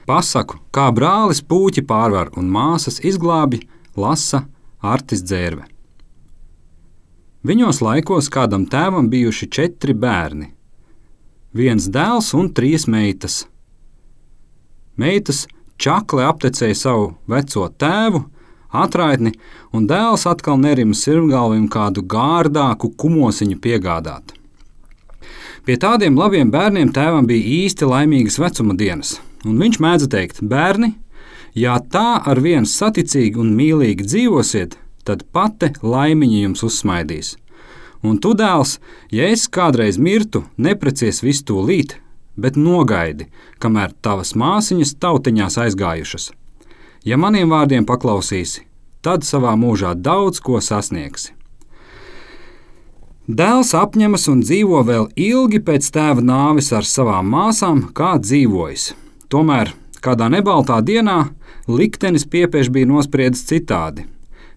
Pasaku, kā brālis Pūķi pārvar un māsas izglābi, lasa Artis Dzērve. Viņos laikos kādam tēvam bijuši 4 bērni. 1 dēls un 3 meitas. Meitas čakli aptecēja savu veco tēvu, atraitni, un dēls atkal nerima sirmgalvim kādu gārdāku kumosiņu piegādāt. Pie tādiem labiem bērniem tēvam bija īsti laimīgas vecuma dienas, un viņš mēdza teikt: bērni, ja tā ar viens saticīgi un mīlīgi dzīvosiet, tad pati laimiņa jums uzsmaidīs. Un tu, dēls, ja es kādreiz mirtu, neprecies visu tūlīt, bet nogaidi, kamēr tavas māsiņas tautiņās aizgājušas. Ja maniem vārdiem paklausīsi, tad savā mūžā daudz ko sasniegsi. Dēls apņemas un dzīvo vēl ilgi pēc tēva nāves ar savām māsām, kā dzīvojis. Tomēr kādā nebaltā dienā liktenis piepieši bija nospriedis citādi.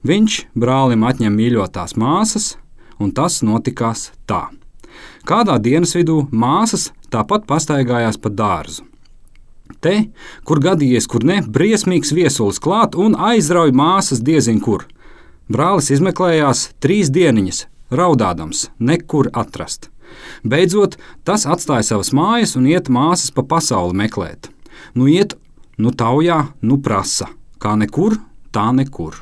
Viņš brālim atņem mīļotās māsas, un tas notikās tā. Kādā dienas vidū māsas tāpat pastaigājās pa dārzu. Te, kur gadījies, kur ne, briesmīgs viesulis klāt un aizrauj māsas diezin kur. Brālis izmeklējās 3 dieniņas, raudādams, nekur atrast. Beidzot, tas atstāja savas mājas un iet māsas pa pasauli meklēt. Nu iet, nu taujā, nu prasa. Kā nekur, tā nekur.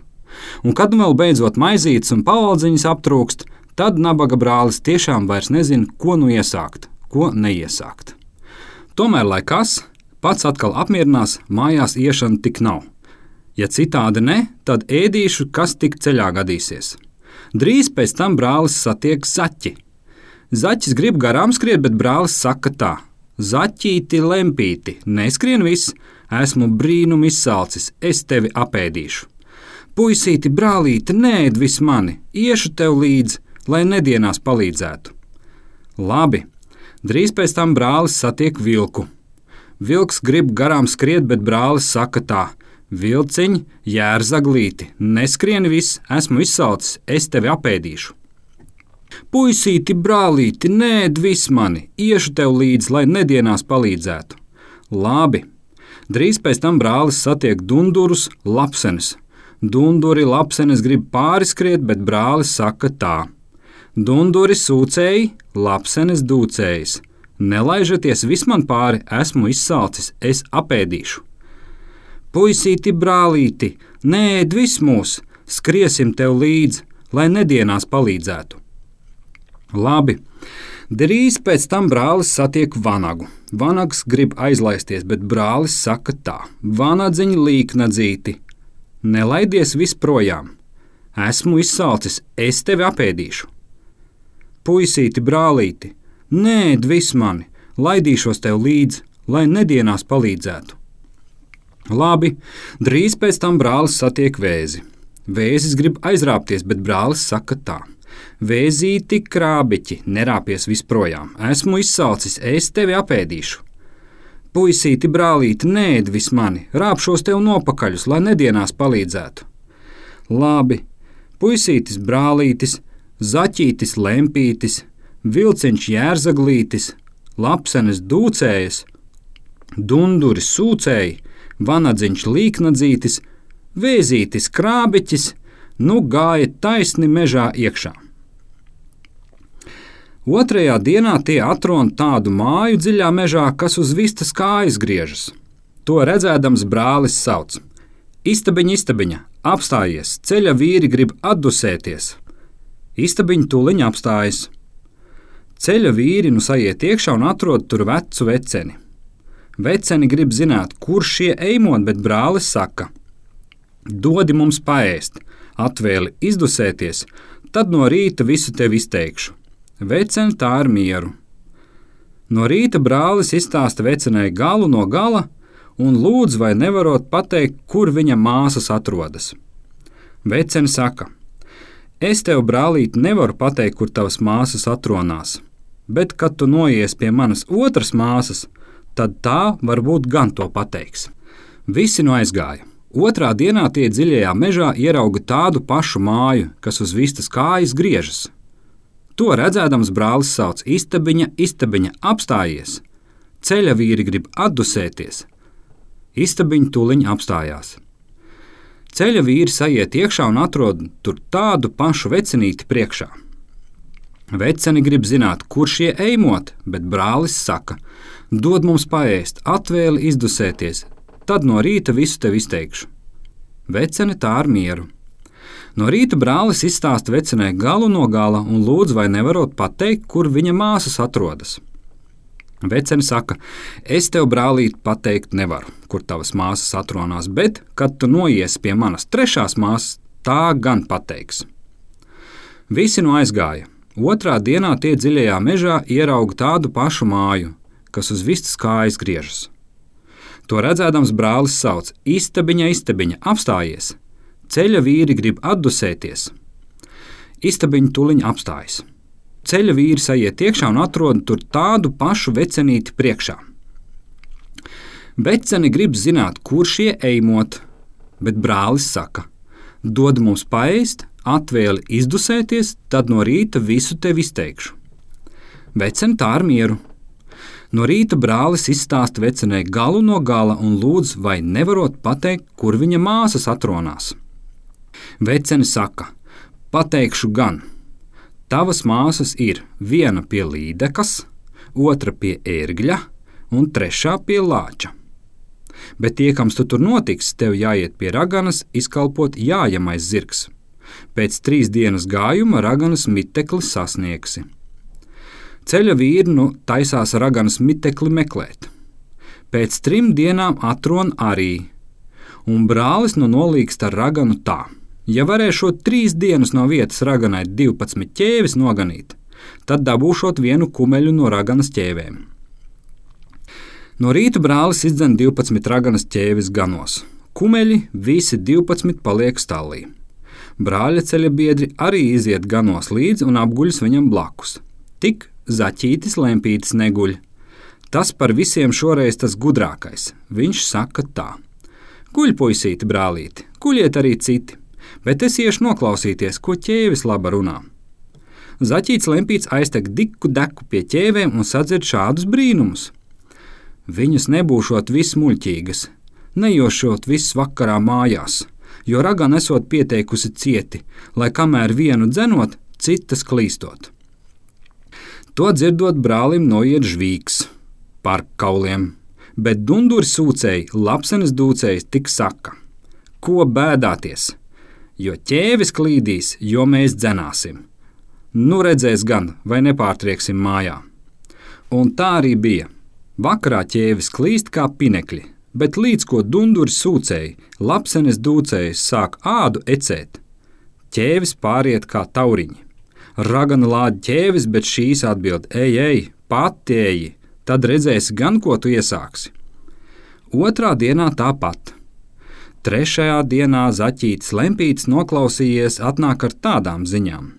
Un kad nu vēl beidzot maizītes un pavaldziņas aptrūkst, tad nabaga brālis tiešām vairs nezina, ko nu iesākt, ko neiesākt. Tomēr, lai kas, pats atkal apmierinās, mājās iešana tik nav. Ja citādi ne, tad ēdīšu, kas tik ceļā gadīsies. Drīz pēc tam brālis satiek zaķi. Zaķis grib garām skriet, bet brālis saka tā: zaķīti, lempīti, neskrien viss, esmu brīnum izsalcis, es tevi apēdīšu. Puisīti, brālīti, neēd vis mani, iešu tev līdzi, lai nedienās palīdzētu. Labi, drīz pēc tam brālis satiek vilku. Vilks grib garām skriet, bet brālis saka tā: vilciņ, jērzaglīti, neskrien viss, esmu izsalcis, es tevi apēdīšu. Puisīti, brālīti, neēd vis mani, iešu tev līdzi, lai nedienās palīdzētu. Labi, drīz pēc tam brālis satiek dundurus, lapsenes. Dunduri, lapsenes grib pāriskriet, bet brālis saka tā: dunduri sūcēji, lapsenes dūcējs. Nelaižaties vis man pāri, esmu izsalcis, es apēdīšu. Puisīti, brālīti, neēd vis mūs, skriesim tev līdzi, lai nedienās palīdzētu. Labi, drīz pēc tam brālis satiek vanagu. Vanags grib aizlaisties, bet brālis saka tā: vanadziņ līknadzīti, nelaidies vis projām, esmu izsalcis, es tevi apēdīšu. Puisīti, brālīti, neēd vis mani, laidīšos tev līdzi, lai nedienās palīdzētu. Labi, drīz pēc tam brālis satiek vēzi. Vēzis grib aizrāpties, bet brālis saka tā: vēzīti, krābiķi, nerāpies visprojām, esmu izsalcis, es tevi apēdīšu. Puisīti, brālīti, neēd vis mani, rāpšos tev nopakaļus, lai nedienās palīdzētu. Labi, puisītis, brālītis, zaķītis, lempītis, vilciņš, jērzaglītis, lapsenes dūcējas, dunduri sūcēji, vanadziņš līknadzītis, vēzītis krābiķis, nu gāja taisni mežā iekšā. Otrajā dienā tie atrod tādu māju dziļā mežā, kas uz vistas kājas griežas. To redzēdams brālis sauc: istabiņa, istabiņa, apstājies, ceļa vīri grib atdusēties. Istabiņa tūliņ apstājas. Ceļa vīri nu saiet iekšā un atrod tur vecu veceni. Veceni grib zināt, kur šie eimot, bet brālis saka: dodi mums paēst, atvēli izdusēties, tad no rīta visu tev izteikšu. Veceni tā ar mieru. No rīta brālis izstāsta vecenei galu no gala un lūdz, vai nevarot pateikt, kur viņa māsas atrodas. Veceni saka: es tev, brālīt, nevaru pateikt, kur tavas māsas atronās, bet, kad tu noies pie manas otras māsas, tad tā varbūt gan to pateiks. Visi nu aizgāja. Otrā dienā tie dziļajā mežā ierauga tādu pašu māju, kas uz vistas kājas griežas. To redzēdams brālis sauc: istabiņa, istabiņa, apstājies. Ceļa vīri grib atdusēties. Istabiņa tūliņ apstājās. Ceļa vīri aiziet iekšā un atrod tur tādu pašu vecinīti priekšā. Veceni grib zināt, kur šie eimot, bet brālis saka: dod mums paēst, atvēli izdusēties, tad no rīta visu tev izteikšu. Vecene tā ar mieru. No rīta brālis izstāsta vecenei galu no gala un lūdz, vai nevarot pateikt, kur viņa māsas atrodas. Vecene saka: es tev, brālīt, pateikt nevaru, kur tavas māsas atrodas, bet, kad tu noiesi pie manas trešās māsas, tā gan pateiks. Visi no aizgāja. Otrā dienā tie dziļajā mežā ierauga tādu pašu māju, kas uz vistas kājas griežas. To redzēdams brālis sauc: Istabiņa, istabiņa, apstājies! Ceļa vīri grib atdusēties. Istabiņa tūliņ apstājas. Ceļa vīri aiziet iekšā un atrod tur tādu pašu vecenīti priekšā. Veceni grib zināt, kur šie eimot, bet brālis saka: dod mums paēst, atvēli izdusēties, tad no rīta visu tev izteikšu. Veceni tā ar mieru. No rīta brālis izstāsta vecenei galu no gala un lūdz, vai nevarot pateikt, kur viņa māsas atrodas. Vecene saka: pateikšu gan. Tavas māsas ir viena pie līdekas, otra pie ērgļa un trešā pie lāča. Bet tiekams tu tur notiks, tev jāiet pie raganas, izkalpot jājamais zirgs. Pēc 3 dienas gājuma raganas mitekli sasniegsi. Ceļa vīri taisās raganas mitekli meklēt. Pēc 3 dienām atrod arī, un brālis nolīgst ar raganu tā: ja varēšot 3 dienas no vietas raganai 12 ķēvis noganīt, tad dabūšot 1 kumeļu no raganas ķēvēm. No rīta brālis izdzen 12 raganas ķēvis ganos. Kumeļi visi 12 paliek stallī. Brāļa ceļa biedri arī iziet ganos līdzi un apguļas viņam blakus. Tik Zaķītis Lempītis neguļ. Tas par visiem šoreiz tas gudrākais. Viņš saka tā: guļ, puisīti, brālīti, guļiet arī citi, bet es iešu noklausīties, ko ķēvis laba runā. Zaķītis Lempīts aiztek diku deku pie ķēvēm un sadzird šādus brīnumus. Viņas nebūšot vismuļķīgas, nejošot viss vakarā mājās, jo ragana esot pieteikusi cieti, lai kamēr vienu dzenot, citas klīstot. To dzirdot, brālim noiet žvīgs par kauliem, bet dunduri sūcēji, lapsenes dūcējs tik saka: ko bēdāties, jo ķēvis klīdīs, jo mēs dzenāsim. Nu redzēs gan, vai nepārtrieksim mājā. Un tā arī bija. Vakarā ķēvis klīst kā pinekļi, bet līdz ko dunduri sūcēji, lapsenes dūcējs sāk ādu ecēt, ķēvis pāriet kā tauriņi. Ragana lāda ķēvis, bet šīs atbild: ej, pati eji, tad redzēsi gan, ko tu iesāksi. Otrā dienā tāpat. Trešajā dienā Zaķītis Lempītis noklausījies atnāk ar tādām ziņām.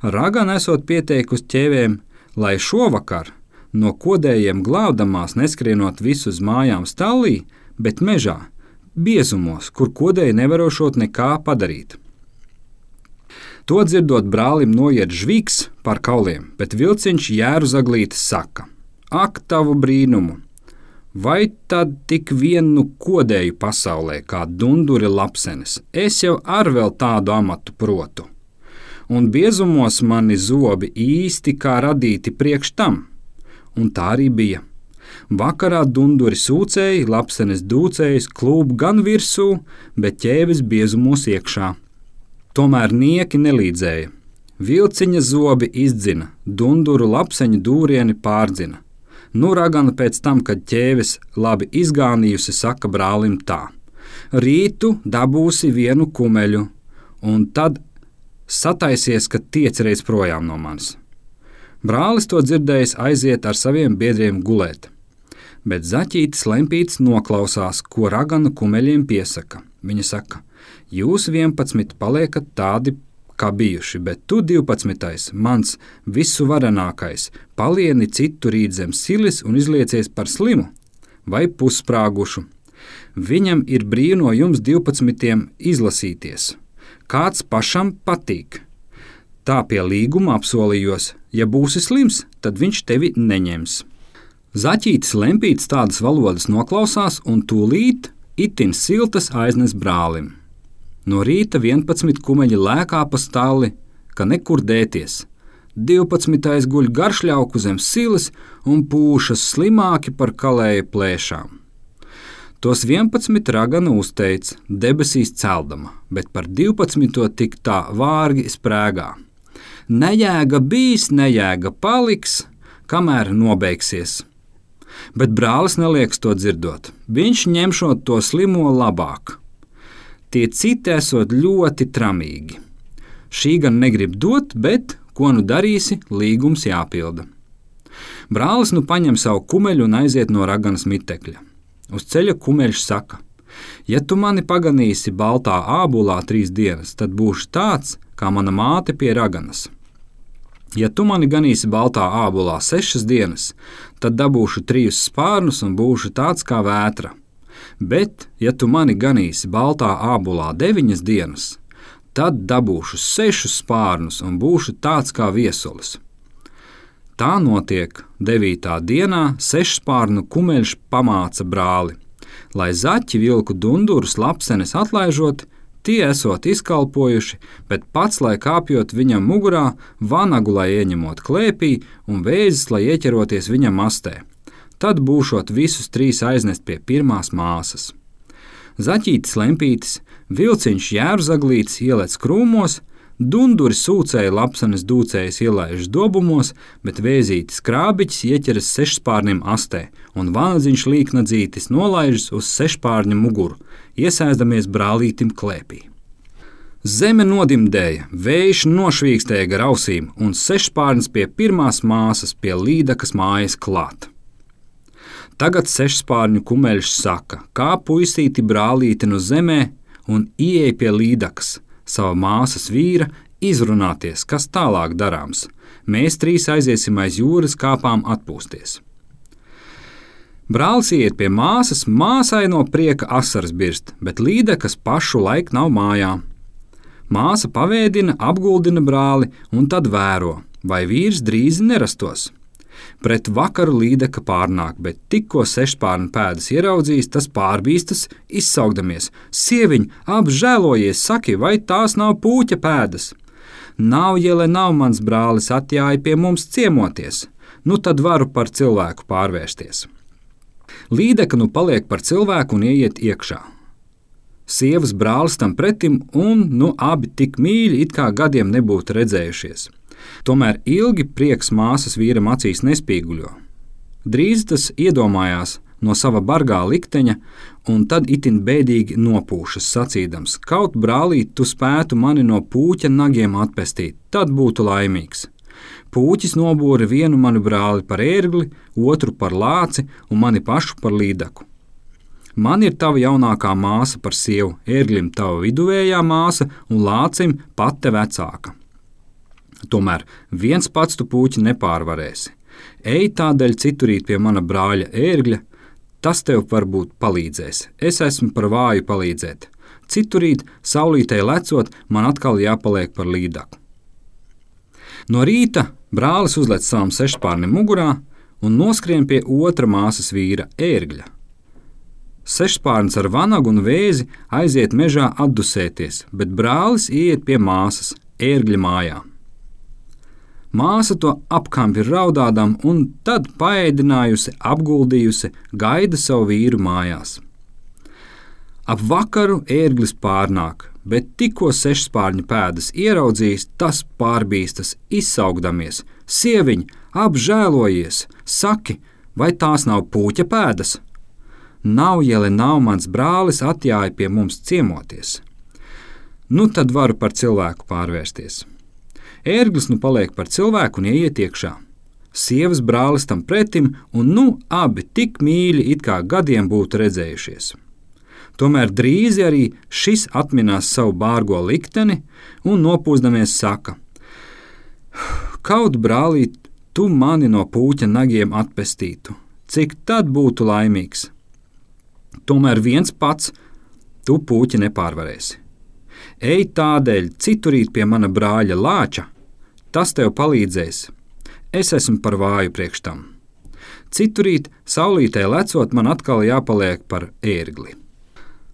Ragana esot pieteikusi ķēvēm, lai šovakar no kodējiem glābdamās neskrienot visu uz mājām stallī, bet mežā, biezumos, kur kodēji nevarošot nekā padarīt. To dzirdot, brālim noiet žvīgs par kauliem, bet vilciņš Jēruzaglītis saka: ak, tavu brīnumu! Vai tad tik vienu kodēju pasaulē kā dunduri lapsenes? Es jau ar vēl tādu amatu protu. Un biezumos mani zobi īsti kā radīti priekš tam. Un tā arī bija. Vakarā dunduri sūcēji, lapsenes dūcējs klūp gan virsū, bet ķēvis biezumos iekšā. Tomēr nieki nelīdzēja. Vilciņa zobi izdzina, dunduru lapseņu dūrieni pārdzina. Nu ragana pēc tam, kad ķēvis labi izgānījusi, saka brālim tā: rītu dabūsi 1 kumeļu, un tad sataisies, ka tiec reiz projām no manis. Brālis to dzirdējis aiziet ar saviem biedriem gulēt, bet Zaķītis Lempītis noklausās, ko ragana kumeļiem piesaka. Viņa saka: jūs 11 paliekat tādi, kā bijuši, bet tu 12, mans visuvarenākais, palieni citu rīt zem silis un izliecies par slimu vai pussprāgušu. Viņam ir brīvi no jums 12 izlasīties. Kāds pašam patīk. Tā pie līguma apsolījos, ja būsi slims, tad viņš tevi neņems. Zaķītis Lempītis tādas valodas noklausās un tūlīt itin siltas aiznes brālim. No rīta 11 kumeļi lēkā pa stalli, ka nekur dēties. 12. guļ garšļauku zem silas un pūšas slimāki par kalēju plēšām. Tos 11 ragana uzteica, debesīs celdama, bet par 12. tik tā vārgi sprēgā. Nejēga bijis, nejēga paliks, kamēr nobeigsies. Bet brālis nelieks to dzirdot. Viņš ņemšot to slimo labāk. Tie citi esot ļoti tramīgi. Šī gan negrib dot, bet, ko nu darīsi, līgums jāpilda. Brālis nu paņem savu kumeļu un aiziet no raganas mitekļa. Uz ceļa kumeļš saka: ja tu mani paganīsi baltā ābolā 3 dienas, tad būšu tāds, kā mana māte pie raganas. Ja tu mani ganīsi baltā ābolā 6 dienas, tad dabūšu 3 spārnus un būšu tāds kā vētra. Bet, ja tu mani ganīsi baltā ābolā 9 dienas, tad dabūšu 6 spārnus un būšu tāds kā viesulis. Tā notiek 9. dienā 6 spārnu kumeļš pamāca brāli, lai zaķi vilku dundurus lapsenes atlaižot, tie esot izkalpojuši, bet pats, lai kāpjot viņam mugurā, vanagu, lai ieņemot klēpī un vēzis, lai ieķeroties viņam mastē. Tad būšot visus 3 aiznest pie pirmās māsas. Zaķītis lempītis, vilciņš jērzaglītis ielec krūmos, dunduri sūcēja lapsenes dūcējas ielaižas dobumos, bet vēzītis krābiķis ieķeras 6 spārnim astē, un vanadziņš līknadzītis nolaižas uz 6 spārņa muguru, iesēdamies brālītim klēpī. Zeme nodimdēja, vējš nošvīkstēja gar ausīm, un 6 spārnis pie pirmās māsas pie Līdakas mājas klāt. Tagad 6 spārņu kumeļš saka, kā puisīti brālīti no zemē un ieej pie Līdakas, sava māsas vīra, izrunāties, kas tālāk darāms. Mēs 3 aiziesim aiz jūras kāpām atpūsties. Brālis iet pie māsas, māsai no prieka asaras birst, bet Līdakas pašu laiku nav mājā. Māsa pavēdina, apguldina brāli un tad vēro, vai vīrs drīz nerastos. Pret vakaru Līdaka pārnāk, bet tikko 6 spārnu pēdas ieraudzījis, tas pārbīstas, izsaugdamies: sieviņ, apžēlojies, saki, vai tās nav pūķa pēdas? Nav jele, nav mans brālis atjāja pie mums ciemoties, nu tad varu par cilvēku pārvērsties. Līdaka nu paliek par cilvēku un ieiet iekšā. Sievas brālis tam pretim un nu abi tik mīļi, it kā gadiem nebūtu redzējušies. Tomēr ilgi prieks māsas vīram acīs nespīguļo. Drīz tas iedomājās no sava bargā likteņa, un tad itin bēdīgi nopūšas sacīdams: kaut brālīt, tu spētu mani no pūķa nagiem atpestīt, tad būtu laimīgs. Pūķis nobūra vienu manu brāli par ērgli, otru par lāci un mani pašu par Līdaku. Man ir tava jaunākā māsa par sievu, ērglim tava viduvējā māsa un lācim pate vecāka. Tomēr viens pats tu pūķi nepārvarēsi. Ej tādēļ citurīt pie mana brāļa ērgļa, tas tev varbūt palīdzēs. Es esmu par vāju palīdzēt. Citurīt, saulītē lecot, man atkal jāpaliek par Līdaku. No rīta brālis uzlec savam 6 spārnim mugurā un noskrien pie otra māsas vīra ērgļa. 6 spārns ar vanagu un vēzi aiziet mežā atdusēties, bet brālis ieiet pie māsas ērgļa mājā. Māsa to apkampi raudādam un tad paēdinājusi, apguldījusi, gaida savu vīru mājās. Ap vakaru ērglis pārnāk, bet tikko 6 spārņu pēdas ieraudzījis, tas pārbīstas, izsaugdamies: sieviņ, apžēlojies, saki, vai tās nav pūķa pēdas? Nav jele, nav mans brālis atjāja pie mums ciemoties. Nu tad varu par cilvēku pārvērsties. Ērglis nu paliek par cilvēku un ieiet iekšā. Sievas brālis tam pretim, un nu abi tik mīļi, it kā gadiem būtu redzējušies. Tomēr drīz arī šis atminās savu bārgo likteni un nopūsdamies saka: kaut brālīt, tu mani no pūķa nagiem atpestītu, cik tad būtu laimīgs. Tomēr viens pats tu pūķi nepārvarēsi. Ej tādēļ citurīt pie mana brāļa lāča, tas tev palīdzēs. Es esmu par vāju priekš tam. Citurīt, saulītē lecot, man atkal jāpaliek par ērgli.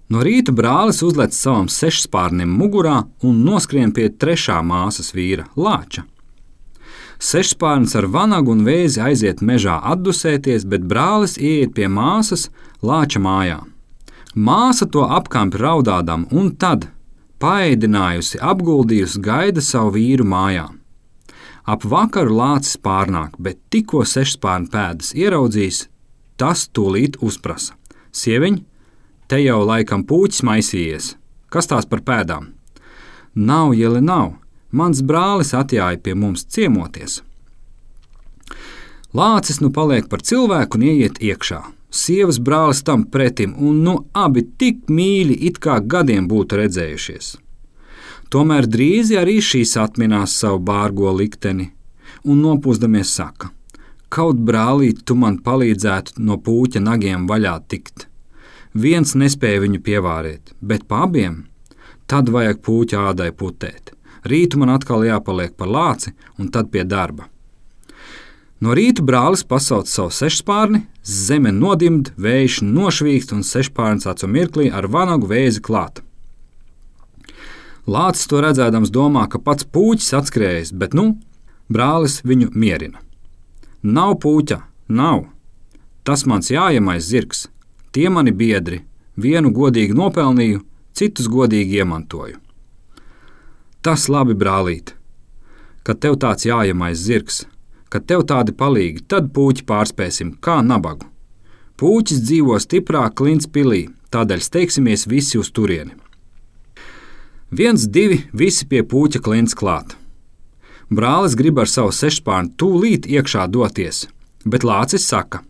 No rīta brālis uzlec savam sešspārnim mugurā un noskrien pie trešā māsas vīra, Lāča. Sešspārnis ar vanagu un vēzi aiziet mežā atdusēties, bet brālis ieiet pie māsas Lāča mājā. Māsa to apkampi raudādam un tad, paēdinājusi, apguldījusi, gaida savu vīru mājā. Ap vakaru Lācis pārnāk, bet tikko sešspārņa pēdas ieraudzījis, tas tūlīt uzprasa: Sieviņ, te jau laikam pūķis maisījies. Kas tās par pēdām? Nav, Jeli, nav. Mans brālis atjāja pie mums ciemoties. Lācis nu paliek par cilvēku un ieiet iekšā. Sievas brālis tam pretim, un nu abi tik mīļi, it kā gadiem būtu redzējušies. Tomēr drīzi arī šīs atminās savu bārgo likteni un nopūsdamies saka: Kaut brālīt, tu man palīdzētu no pūķa nagiem vaļā tikt. Viens nespēja viņu pievārēt, bet pa abiem tad vajag pūķa ādai putēt. Rītu man atkal jāpaliek par Lāci un tad pie darba. No rīta brālis pasauc savu sešspārni, zeme nodimd, vējš nošvīkst un sešspārnis acu mirklī ar vanagu vēzi klāt. Lācis to redzēdams domā, ka pats pūķis atskrējis, bet brālis viņu mierina. Nav pūķa, nav. Tas mans jājamais zirgs. Tie mani biedri. Vienu godīgi nopelnīju, citus godīgi iemantoju. Tas labi, brālīt, kad tev tāds jājamais zirgs, kad tev tādi palīgi, tad pūķi pārspēsim kā nabagu. Pūķis dzīvo stiprā Klints pilī, tādēļ steigsimies visi uz turieni. 1, 2, visi pie pūķa Klints klāt. Brālis grib ar savu sešspārni tūlīt iekšā doties, bet Lācis saka: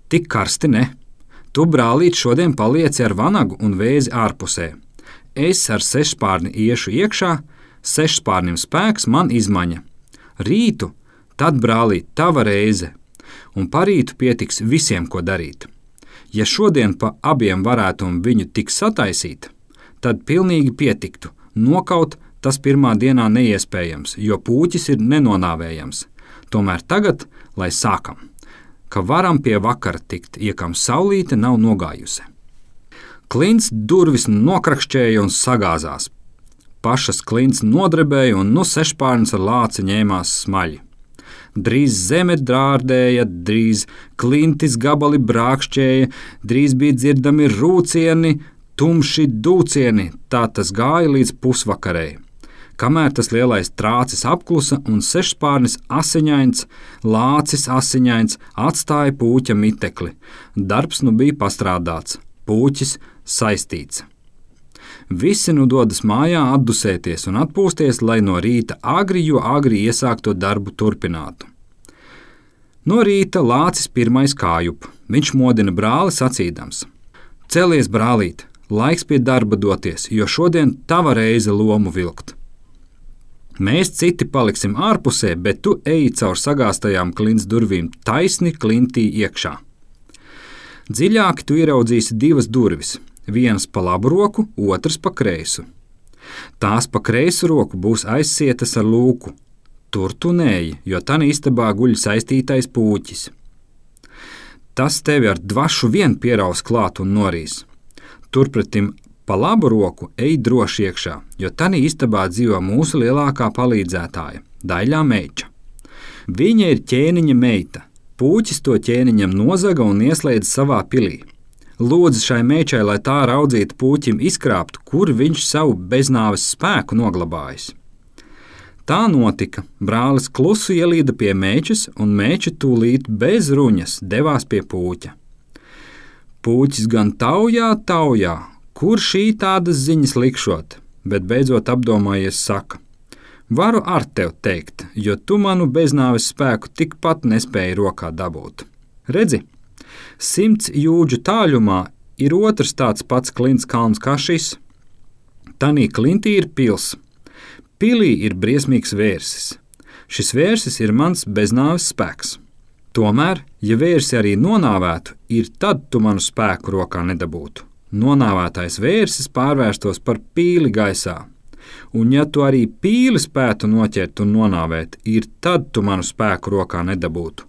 Tik karsti ne. Tu, brālīt, šodien palieci ar vanagu un vēzi ārpusē. Es ar sešspārni iešu iekšā, sešspārnim spēks, man izmaņa. Rītu, tad, brālīt, tava reize, un parītu pietiks visiem, ko darīt. Ja šodien pa abiem varētu viņu tik sataisīt, tad pilnīgi pietiktu. Nokaut tas pirmā dienā neiespējams, jo pūķis ir nenonāvējams. Tomēr tagad, lai sākam, ka varam pie vakara tikt, iekam saulīte nav nogājusi. Klints durvis nokrakšķēja un sagāzās. Pašas Klints nodrebēja un sešspārnis ar Lāci ņēmās smaļi. Drīz zeme drārdēja, drīz Klintis gabali brākšķēja, drīz bija dzirdami rūcieni, tumši dūcieni, tā tas gāja līdz pusvakarei. Kamēr tas lielais trācis apklusa un sešspārnis asiņains, Lācis asiņains atstāja pūķa mitekli. Darbs nu bija pastrādāts, pūķis saistīts. Visi nu dodas mājā atdusēties un atpūsties, lai no rīta agri iesākto darbu turpinātu. No rīta Lācis pirmais kājup. Viņš modina brāli sacīdams: Celies, brālīt, laiks pie darba doties, jo šodien tava reize lomu vilkt. Mēs citi paliksim ārpusē, bet tu eji caur sagāstajām Klints durvīm taisni Klintī iekšā. Dziļāk tu ieraudzīsi 2 durvis, vienas pa labu roku, otras pa kreisu. Tās pa kreisu roku būs aizsietas ar lūku. Tur tu neeji, jo tanī istabā guļ saistītais pūķis. Tas tevi ar dvašu vien pieraus klāt un norīs. Turpretim pa labu roku ej droši iekšā, jo tanī istabā dzīvo mūsu lielākā palīdzētāja, Daļā meiča. Viņa ir ķēniņa meita. Pūķis to ķēniņam nozaga un ieslēdz savā pilī. Lūdzu šai meičai, lai tā raudzītu pūķim izkrāpt, kur viņš savu beznāves spēku noglabājis. Tā notika. Brālis klusu ielīda pie meičas, un meiča tūlīt bez ruņas devās pie pūķa. Pūķis gan taujā, kur šī tādas ziņas likšot, bet beidzot apdomājies saka: Varu ar tev teikt, jo tu manu beznāves spēku tikpat nespēji rokā dabūt. Redzi, 100 jūdžu tāļumā ir otrs tāds pats Klints kalns kā šis. Tanī Klintī ir pils. Pilī ir briesmīgs vērsis. Šis vērsis ir mans beznāves spēks. Tomēr, ja vērsi arī nonāvētu, tad tu manu spēku rokā nedabūtu. Nonāvētais vērsis pārvērstos par pīli gaisā. Un ja tu arī pīli spētu noķert un nonāvēt, tad tu manu spēku rokā nedabūtu.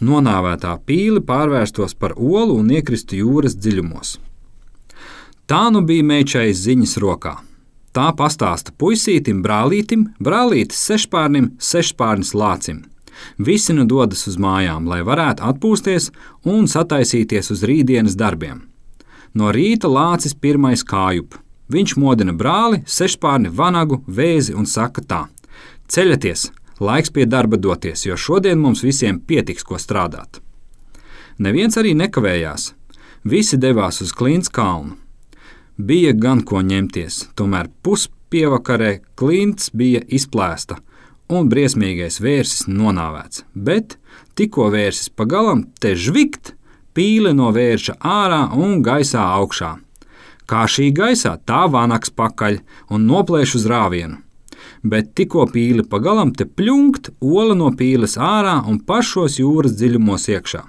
Nonāvētā pīle pārvērstos par olu un iekristu jūras dziļumos. Tā nu bija meičai ziņas rokā. Tā pastāsta puisītim, brālītim, brālītis sešpārnim, sešpārnis lācim. Visi nu dodas uz mājām, lai varētu atpūsties un sataisīties uz rītdienas darbiem. No rīta lācis pirmais kājup. Viņš modina brāli, sešpārni, vanagu, vēzi un saka tā: ceļaties, laiks pie darba doties, jo šodien mums visiem pietiks, ko strādāt. Neviens arī nekavējās. Visi devās uz Klints kalnu. Bija gan ko ņemties, tomēr puspievakarē Klints bija izplēsta un briesmīgais vērsis nonāvēts, bet tikko vērsis pa galam, te žvikt, pīle no vērša ārā un gaisā augšā. Kā šī gaisā, tā vanags pakaļ un noplēš uz rāvienu. Bet tikko pīle pa galam, te pļunkt, ola no pīles ārā un pašos jūras dziļumos iekšā.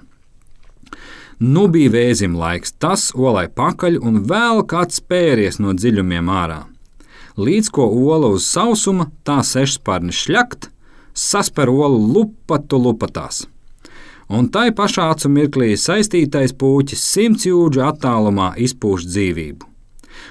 Nu bija vēzim laiks, tas olai pakaļ un vēl kāds spēries no dziļumiem ārā. Līdz ko ola uz sausuma, tā sešspārni šļakt, sasper olu lupatu lupatās. Un tai pašā acu mirklī saistītais pūķis 100 jūdžu attālumā izpūš dzīvību.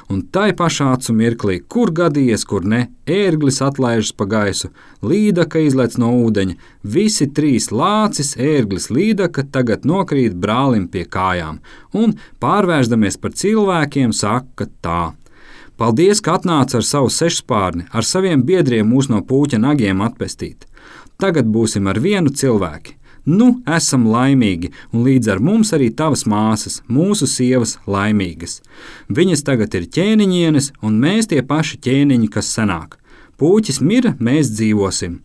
Un tai pašā acu mirklī, kur gadījies, kur ne, ērglis atlaižas pa gaisu, līdaka izlec no ūdeņa, visi trīs lācis, ērglis, līdaka tagad nokrīt brālim pie kājām un, pārvēršdamies par cilvēkiem, saka tā: paldies, ka atnāca ar savu sešspārni, ar saviem biedriem mūs no pūķa nagiem atpestīt. Tagad būsim ar vienu cilvēki. Nu, esam laimīgi, un līdz ar mums arī tavas māsas, mūsu sievas laimīgas. Viņas tagad ir ķēniņienes, un mēs tie paši ķēniņi, kas senāk. Pūķis mira, mēs dzīvosim.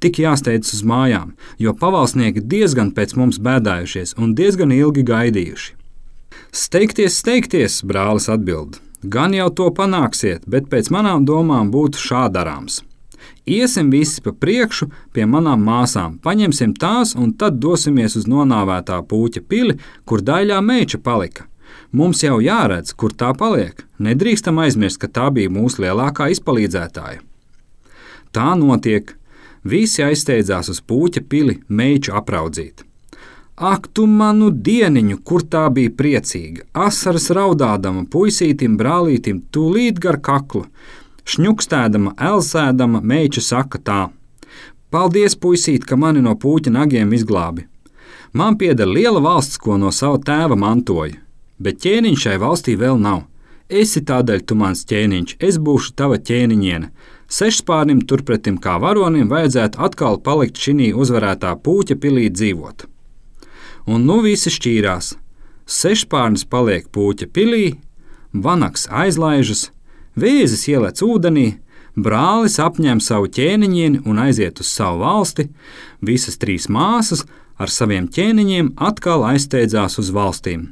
Tik jāsteidzas uz mājām, jo pavalsnieki diezgan pēc mums bēdājušies un diezgan ilgi gaidījuši. Steigties, steigties, brālis atbild. Gan jau to panāksiet, bet pēc manām domām būtu šā darāms. Iesim visi pa priekšu pie manām māsām, paņemsim tās un tad dosimies uz nonāvētā pūķa pili, kur daļā meiča palika. Mums jau jāredz, kur tā paliek. Nedrīkstam aizmirst, ka tā bija mūsu lielākā izpalīdzētāja. Tā notiek. Visi aizsteidzās uz pūķa pili meiču apraudzīt. Ak, tu manu dieniņu, kur tā bija priecīga! Asaras raudādama puisītim, brālītim, tūlīt gar kaklu. Šņukstēdama, elsēdama, meiča saka tā: paldies, puisīt, ka mani no pūķa nagiem izglābi. Man pieder liela valsts, ko no sava tēva mantoju, bet ķēniņš šai valstī vēl nav. Esi tādēļ tu mans ķēniņš, es būšu tava ķēniņiene. Sešspārnim turpretim kā varonim vajadzētu atkal palikt šinī uzvarētā pūķa pilī dzīvot. Un nu visi šķīrās. Sešspārnis paliek pūķa pilī, vanags aizlaižas, vēzis ielec ūdenī, brālis apņem savu ķēniņieni un aiziet uz savu valsti, visas trīs māsas ar saviem ķēniņiem atkal aizsteidzās uz valstīm.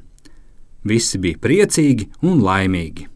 Visi bija priecīgi un laimīgi.